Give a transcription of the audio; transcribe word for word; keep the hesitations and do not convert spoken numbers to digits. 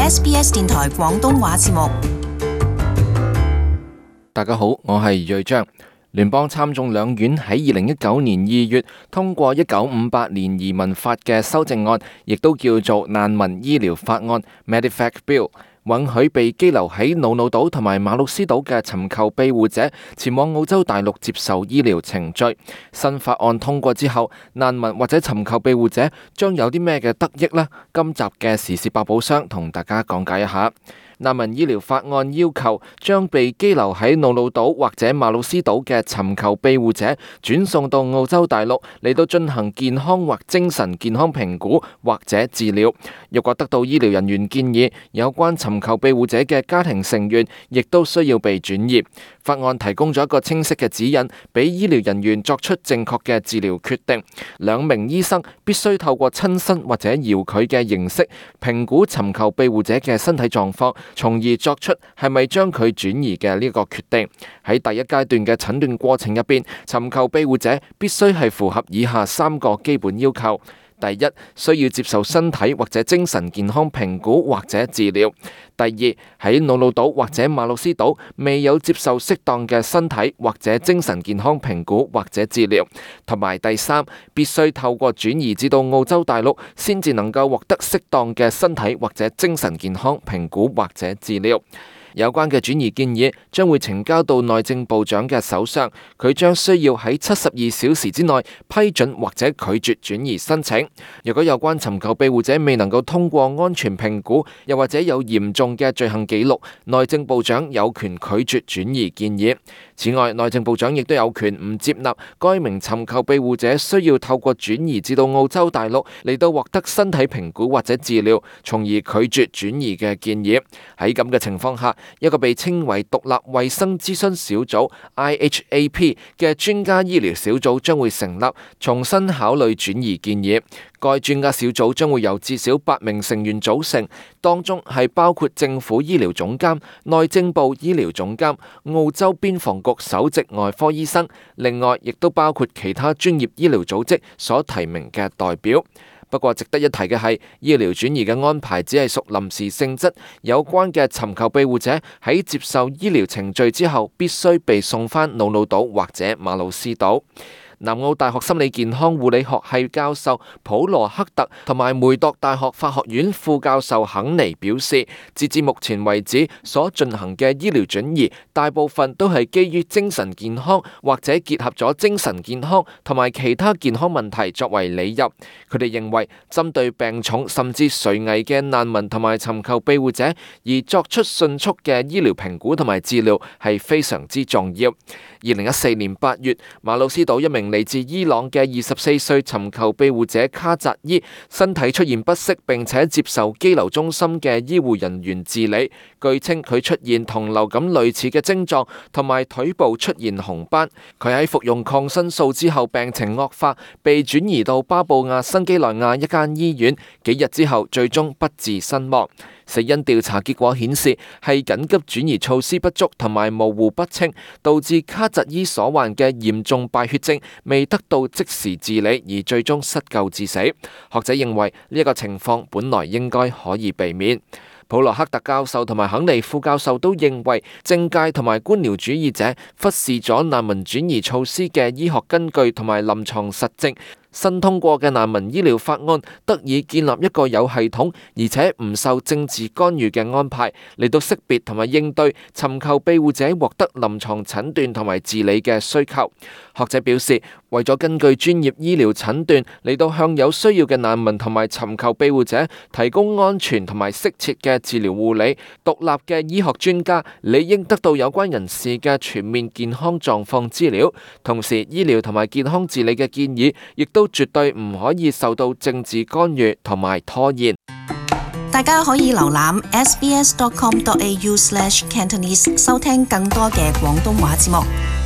S B S 電台廣東話節目。大家好，我係瑞章。聯邦參眾兩院喺二零一九年二月通過一九五八年移民法嘅修正案，亦都叫做難民醫療法案 （Medevac Bill），允許被羈留喺瑙魯島同埋馬魯斯島嘅尋求庇護者前往澳洲大陸接受醫療程序。新法案通過之後，難民或者尋求庇護者將有啲咩嘅得益呢？今集嘅時事百寶箱同大家講解一下。難民醫療法案要求將被羈留喺瑙魯島或者馬魯斯島嘅尋求庇護者轉送到澳洲大陸嚟到進行健康或精神健康評估或者治療。若果得到醫療人員建議，有關尋求庇護者嘅家庭成員亦都需要被轉移。法案提供咗一個清晰嘅指引，俾醫療人員作出正確嘅治療決定。兩名醫生必須透過親身或者遙距嘅形式評估尋求庇護者嘅身體狀況，從而作出係咪將佢轉移嘅呢個決定。喺第一階段嘅診斷過程入邊，尋求庇護者必須係符合以下三個基本要求。第一，需要接受身體或者精神健康評估或者治療。第二，喺瑙魯島或者馬魯斯島未有接受適當嘅身體或者精神健康評估或者治療。同埋第三，必須透過轉移至到澳洲大陸，先至能夠獲得適當嘅身體或者精神健康評估或者治療。有關嘅轉移建議將會呈交到內政部長嘅手上，佢將需要喺七十二小時之內批准或者拒絕轉移申請。如果有關尋求庇護者未能夠通過安全評估，又或者有嚴重嘅罪行記錄，內政部長有權拒絕轉移建議。此外，內政部長亦都有權唔接納該名尋求庇護者需要透過轉移至到澳洲大陸嚟到獲得身體評估或者治療，從而拒絕轉移嘅建議。喺咁嘅情況下，一個被稱為獨立衛生諮詢小組 I H A P 嘅專家醫療小組將會成立，重新考慮轉移建議。該專家小組將會由至少八名成員組成，當中係包括政府醫療總監、內政部醫療總監、澳洲邊防局首席外科醫生，另外亦都包括其他專業醫療組織所提名嘅代表。不過值得一提嘅係，醫療轉移嘅安排只係屬臨時性質，有關嘅尋求庇護者喺接受醫療程序之後，必須被送返瑙魯島或者馬魯斯島。南澳大學心理健康護理學系教授普羅克特同埋梅鐸大學法學院副教授肯尼表示，截至目前為止所進行嘅醫療轉移，大部分都係基於精神健康或者結合咗精神健康同埋其他健康問題作為理由。佢哋認為，針對病重甚至垂危嘅難民同埋尋求庇護者而作出迅速嘅醫療評估同埋治療係非常之重要。二零一四年八月，馬魯斯島一名嚟自伊朗嘅二十四歲尋求庇護者卡扎伊身體出現不適，並且接受羈留中心嘅醫護人員治理。據稱佢出現同流感類似嘅症狀，同埋腿部出現紅斑。佢喺服用抗生素之後病情惡化，被轉移到巴布亞新幾內亞一間醫院，幾日之後最終不治身亡。死因調查結果顯示係緊急轉移措施不足同埋模糊不清，導致卡扎伊所患嘅嚴重敗血症未得到即時治理，而最終失救致死。學者認為呢一個情況本來應該可以避免。普羅克特教授同埋肯尼副教授都認為，政界同埋官僚主義者忽視咗難民轉移措施嘅醫學根據同埋臨床實證。新通過嘅難民醫療法案得以建立一個有系統而且唔受政治干預嘅安排，嚟到識別同埋應對尋求庇護者獲得臨床診斷同埋治理嘅需求。學者表示，為咗根據專業醫療診斷嚟到向有需要嘅難民同埋尋求庇護者提供安全同埋適切嘅治療護理，獨立嘅醫學專家理應得到有關人士嘅全面健康狀況資料。同時，醫療同埋健康治理嘅建議亦都絕對唔可以受到政治干預同埋拖延。大家可以瀏覽 s b s dot com dot a u slash cantonese 收聽更多嘅廣東話節目。